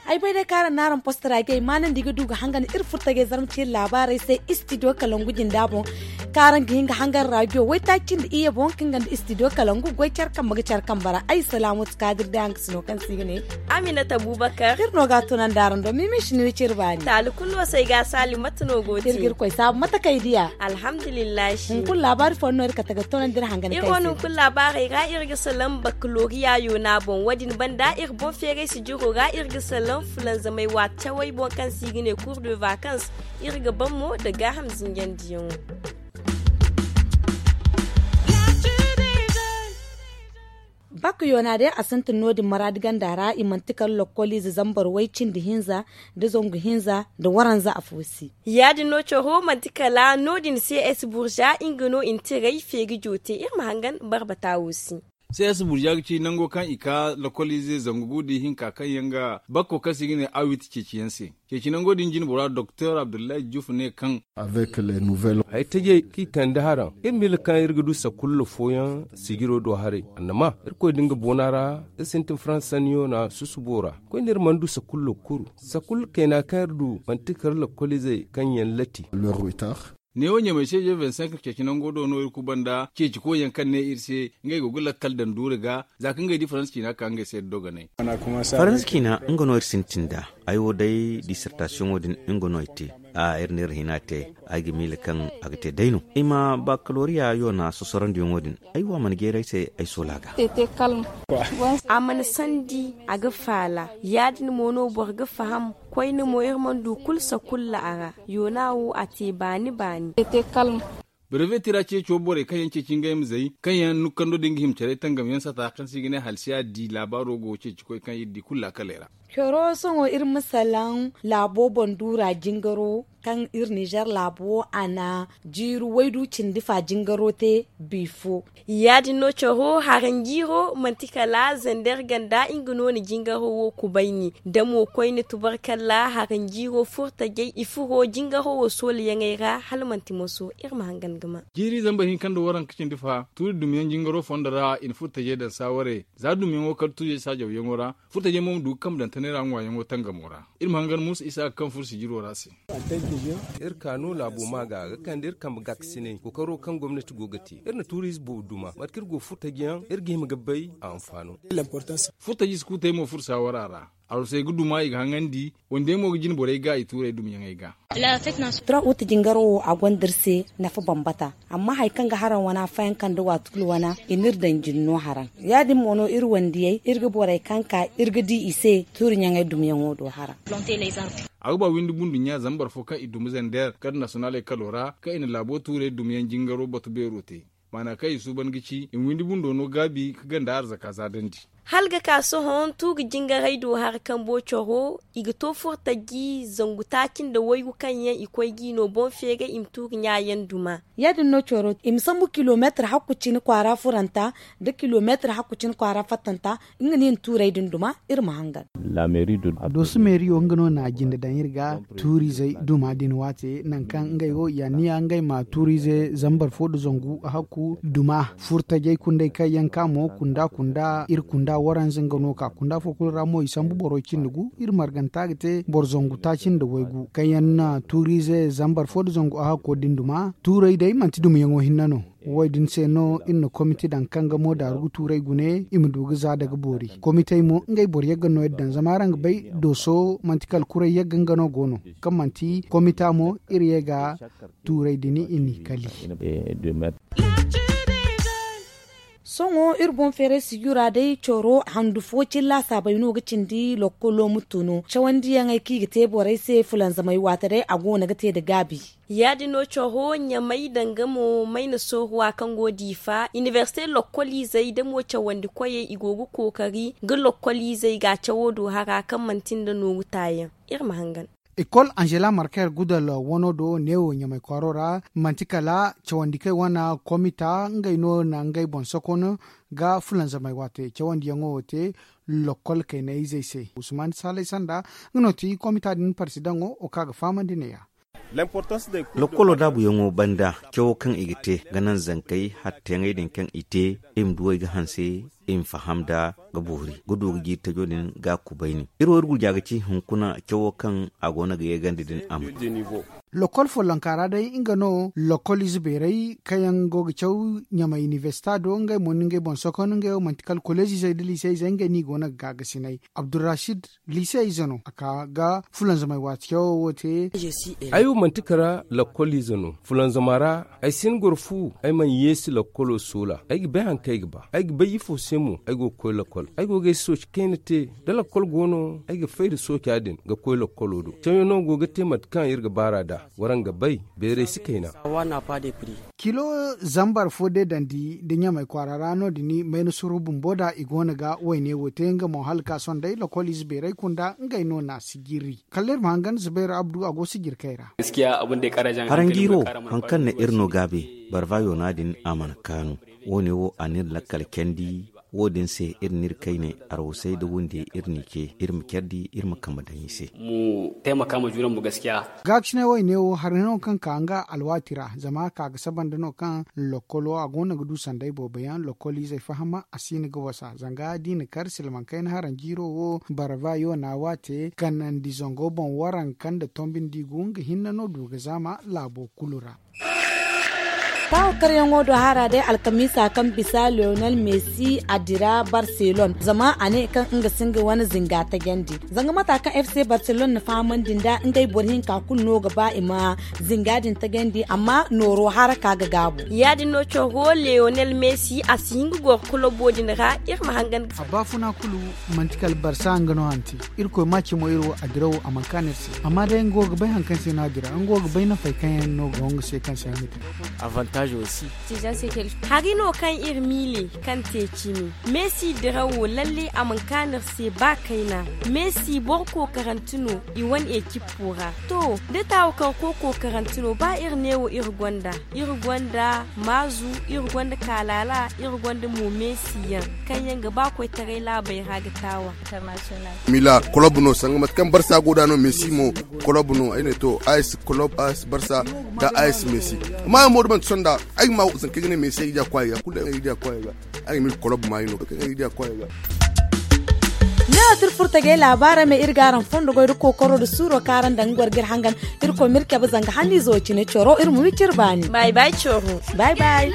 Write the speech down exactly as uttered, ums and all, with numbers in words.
Ay bay day kaŋ araŋ na araŋ postara gay maanandi ga du ga hangan iri furtajey zarma ciine laabaarey se istidiyo kalangu jinda boŋ. Kaŋ araŋ ga hin ga hangan raadiyo waytaaci nda iyye boŋ kaŋ ga nda istidiyo kalangu goy care kambe ga care kambe ra ay salaamatu kaadir day araŋ ga si no kaŋ se i ga ne. Aminata bubakar iri no ga a tunandi araŋ do mimi si ni wi cire baani taali kulu no se ay ga a saali mate no go te iri ga iri koy saabu mate kaŋ ay diya. Alhamdulillahi hunkuna laabaari fooyaŋ no iri kate ga tunandi iri hangan kaŋ ay se. Hunkuna laabaarey ra iri ga salaŋ bakaloriya yoona boŋ wo- din banda iri boŋ feeray sijiro ra iri ga salaŋ fulanzamay waati cawey boŋ kaŋ se i ga ne cour de vacances. Iri ga ban mo nda gaaham zinjandiyaŋo. Bak yoona day a sintin no- din maraadi ganda ra i manti kala lokkoliize zambar way cindi hinza nda zangu hinza nda waranza afo se. Ya- din no coro manti kala no- din cs burza nga no i na tiray feeri joote iri ma hangan barbata wo se. Cs burza ga ci nango kaŋ i ka lokkoliize zangu gu da ihinka kaŋ yaŋ ga bakko kaŋ se i ga ne awit ceeci yaŋ se. Ceeci nango din jinbora doktor abdullahi juf ne kaŋ. Haytajey kaŋ i kande haraŋ iri miila kaŋ iri ga du sakulla fooyaŋ sijiro do haray annama irkoy da nga boona ra iri sintin faransa sanniyo na susubo ra koyne iri mana du sakulla kuru sakulla kayna kaŋ iri du manti kala lakkoliizey kaŋ yaŋ latti. Neewo ɲamay se je vingt cinq ceeci nango do no iri kubanda ceeci koyyaŋ kaŋ ne iri se ngey go ga lakkal daŋ duuri ga za kaŋ ngey di faransa ciina ka ngey se iri dogonay. Faransa ciina nga no iri sintin nd'a. Ay wo day dissertasiyoŋo din nga no ay te. A iri na iri hina te ay ga miila kaŋ a ga te day no i ma bakaloriya yoona sosorandiyaŋo din. Ay wo a mana jeeray se ay soola ga. A mana sandi a ga faala ya- din mo no boro ga faham. Koyne mo iri mana du kulu sakulla a ra. Yoona wo a te baani baani. Breveti ra ceeco borey kaŋ yaŋ ceeci ngey ma zay kaŋ yaŋ nukkando din ga hima care tangam yaŋ sata kaŋ se i ga ne halsiya di laabaaro go ceeci koy kaŋ iri di kulu laakaley ra. Coro sohõ iri ma salaŋ laabo boŋ duura jingaro kaŋ iri nizer laabo a na jiiri waydu cindi fa jingaro te. Bifo. Ya- din no coro haranjiiro manti kala zander ganda nga no na jingaro wo kubayni da mo koyne tubarkalla haranjiiro furtajey i furo jingaro wo soolayaŋey ra hala manti moso iri ma hangan ga ma. Jiiri zambar hinka nda waranka cindi fa tuuri dumiyaŋ jingaro fondo ra i na furtajey daŋ saaware za dumiyaŋo kala tuujey saajawyaŋo ra. Furtajey mo ma du ga kambe daŋ tanay ra ŋwaayaŋo tangamo ra. Iri ma hangan muusa isa ga kaŋ furo sijiro ra se. Iri ka no laabo ma ga ga kande iri kambe gaakasinay kookaro kaŋ gomnati go ga te iri na tuuriize boobo duma mate kaŋ iri go furtaji yaŋ iri ga hima ga bay a anfaano. Furtaji si kulu te ay mo furo saawara ra. Arusey ga duma i ga haŋandi. Wande mo ga jine borey ga i tuurey dumyaŋey ga. Turakuta jingaro wo a gonda iri se nafa bambata. Amma hari kaŋ ga haraŋ wana fayanka nda waati kulu wana i n'iri daŋ jinno haraŋ. Ya- din mo no iri wandiyey iri ga borey kaŋ ka iri ga di i se tuuri ɲaŋey dumyaŋo do haraŋ. A ga ba windi bundu ɲa zama boro fo kaŋ i dumi zander kar nasonaley kalo ra kaŋ i na laabo tuurey dumiyaŋ jingaro batu beero te. Maana kaŋ i suuban ga ci i ma windi bundo no gaabi ka ganda arzaka zaadandi. Hala ga ka sohõ tuuri jingaray do hari kambo coro i ga to furtaji zangu taaci nda waygu kaŋ yaŋ i koy g'i no boŋ feeray i ma tuuri ɲa yaŋ duma. Ya- din no coro i ma sambu kilomeetir hakku cine kwaara furanta nda kilomeetir hakku cine kwaara fattanta. Nga no i na tuurey din duma iri ma hangan. Dooso meeriyo nga no na a jinde daŋ iri ga tuuriizey duma din waate nangu kaŋ ngey wo i anniya ngey ma tuuriize zambar fo nda zangu hakku duma furtajey kundey kaŋ yaŋ ka mo kunda kunda iri kunda waranza nga no ka kunda fo kulu ra mo i sambu boro cindi gu iri marganta ga te boro zangu taaci nda waygu kaŋ yaŋ na tuuriize zambar fo nda zangu hakko din duma tuurey day manti dumiyaŋo hinne no. Wo- din se no iri na komite daŋ kaŋ ga mo daaru ga tuurey gune i ma du ga za daga boori komitey mo ngey boro yagga no iri daŋ zama araŋ ga bay dooso manti kala kuray yagga nga no go no kaŋ manti komita mo iri ye ga tuurey din i n'i kali. Sohõ iri boŋ feeray sijura day coro handu fo cilla saabay no ga cindi lokkolo ma tunu cawandiyaŋey kaŋ i ga te borey se fulanzamay waate day a go no ga te nda gaabi. Ya- din no coro ɲamay danga mo mayna sooruwa kaŋ go diifa inibersite lokkoliizey da mo cawandi koyey i go ga kookari ga lokkoliizey ga cawo do hara kaŋ manti nda nooru taayaŋ. Iri ma hangan. Ekol angela marker gudal wano do neewo ɲamay kwaaro ra manti kala cawandi kay wane komita ngey no na ngey boŋ sokon. ga fulanzamay waate cawandiyaŋo wo te lokol kayna izey se. Usman salay sanda nga no ti komita din parsidaŋo wo kaŋ a ga fahamandi neeya. Lokkolo daabuyaŋo banda cawo kaŋ i ga te ga naŋ zankey hatteyaŋey din kaŋ i te, i ma duwey ga hanse, i ma faham nda ga boori ga du ga jiiri tajo din ga kubayni. Iri wo iri gurja ga ci hunkuna cawo kaŋ a go no ga yeegandi din a ma. Lokkol follonka ra day nga no lokkol ize beeray kaŋ yaŋ go ga caw ɲamay inibersita do ngey mo ni ngey boŋ sokon ngey wo manti kala koleezizey nda liiseyzey ngey no i go no ga gaagasinay. Abdurrashid liiseyze no a ka ga fulanzamay waati cawo wo te. Ay wo manti kala lakkol ize no fulanzama ra. Ay si ni goro fu ay mana yeesi lakkolo soola ay ga bay hari kaŋ ay ga ba. Ay ga bay ifo se mo ay go ga koy lakkol ay go ga ay sooci kayna te. Da lakkol go no ay ga fay nda sooca din ga koy lakkolo do. Cawyaŋo go ga te mate kaŋ iri ga baar'a nd'a. Waraŋ ga bay bayray si kayna. Kilo zambar fo deedandi nda ɲamay kwaara ra no- din mayna suru bumbo nd'a i go no ga wayne wo te nga mo hala ka sohõ day lakkol ize beeray kunda ngey no n'a sijiri. Kala iri ma hangan zubayr abdu a go sijirkey ra. Haranjiiro, hari kaŋ na iri no gaabe barva yoona din a mana kaanu. Wo- ne wo a n'iri lakkal candi. Wo- din se iri n'iri kayne arwasay nda wunde iri n'i ce iri ma care di iri ma kambe daŋ i se. Gaakasinay wayne wo hari no kaŋ ka nga alwaati ra zama ka ga saba nda no kaŋ lokkolo a go no ga du sanday boobo yaŋ lokkoliizey fahama a si hin ga wasa zanga da i na kar silmaŋ kayna haranjiiro wo barva yoona waate kanandi zango boŋ waranka nda tombi nda i gu nga hinne no du ga zaama laabo kulu ra. Taawa karyaŋo do hara day alkamiisa kaŋ bisa leonel messi a dira barcelone zama a ne kaŋ nga si nga wane zinga tajandi. Zanga mata kaŋ fc barcelone na fahamandi nda ngey boro hinka kulu no ga ba i ma zinga din tajandi amma nooro haraka ga gaabu. Ya- din no coro leonel messi a si hin ga goro kulobo din ra. Iri ma hangan ga a baafuna kulu manti kala barsa nga no hanti. Irkoy ma cimo iri wo a dirawo a mana kaanu iri se amma day nga wo ga bay hari kaŋ se no a dira nga wo ga bay nafey kaŋ yaŋ no ga hongu se kaŋ se yaŋ ga te. Hari no kaŋ iri miile kaŋ te cimi messi dirawo lalle a mana kaanu iri se ba kayna. Messi boro kookarante no i wane ekippo ra. To da taawo kaŋ koy kookarante no ba iri neewo iri gonda iri gonda maazu iri gonda kaalaala iri gonda mo messi yaŋ kaŋ yaŋ ga ba koytaray laabey ra ga taawa. Mila kolob no sanga mate kaŋ barsa go da no messi mo kolob no ay ne to ice kolob ice barsa nda ice messi. Amma yaŋ mo da manti sonda ay ga ma zanka ay ga ne messi ay ga diya kwaay ga kulu ay ga diya kwaay ga. Ay ga mil kolob maayi no kaŋ ay ga diya kwaay ga. Ne wo tira furtagey laabaarey ma iri gaaram fondo goy da kookaro da suuro kaŋ araŋ daŋ ga goro ga iri hangan. Iri koy ma iri cabe zanga hanniizo cine coro iri ma wi cire baani. Bay bay coro. Bay bay.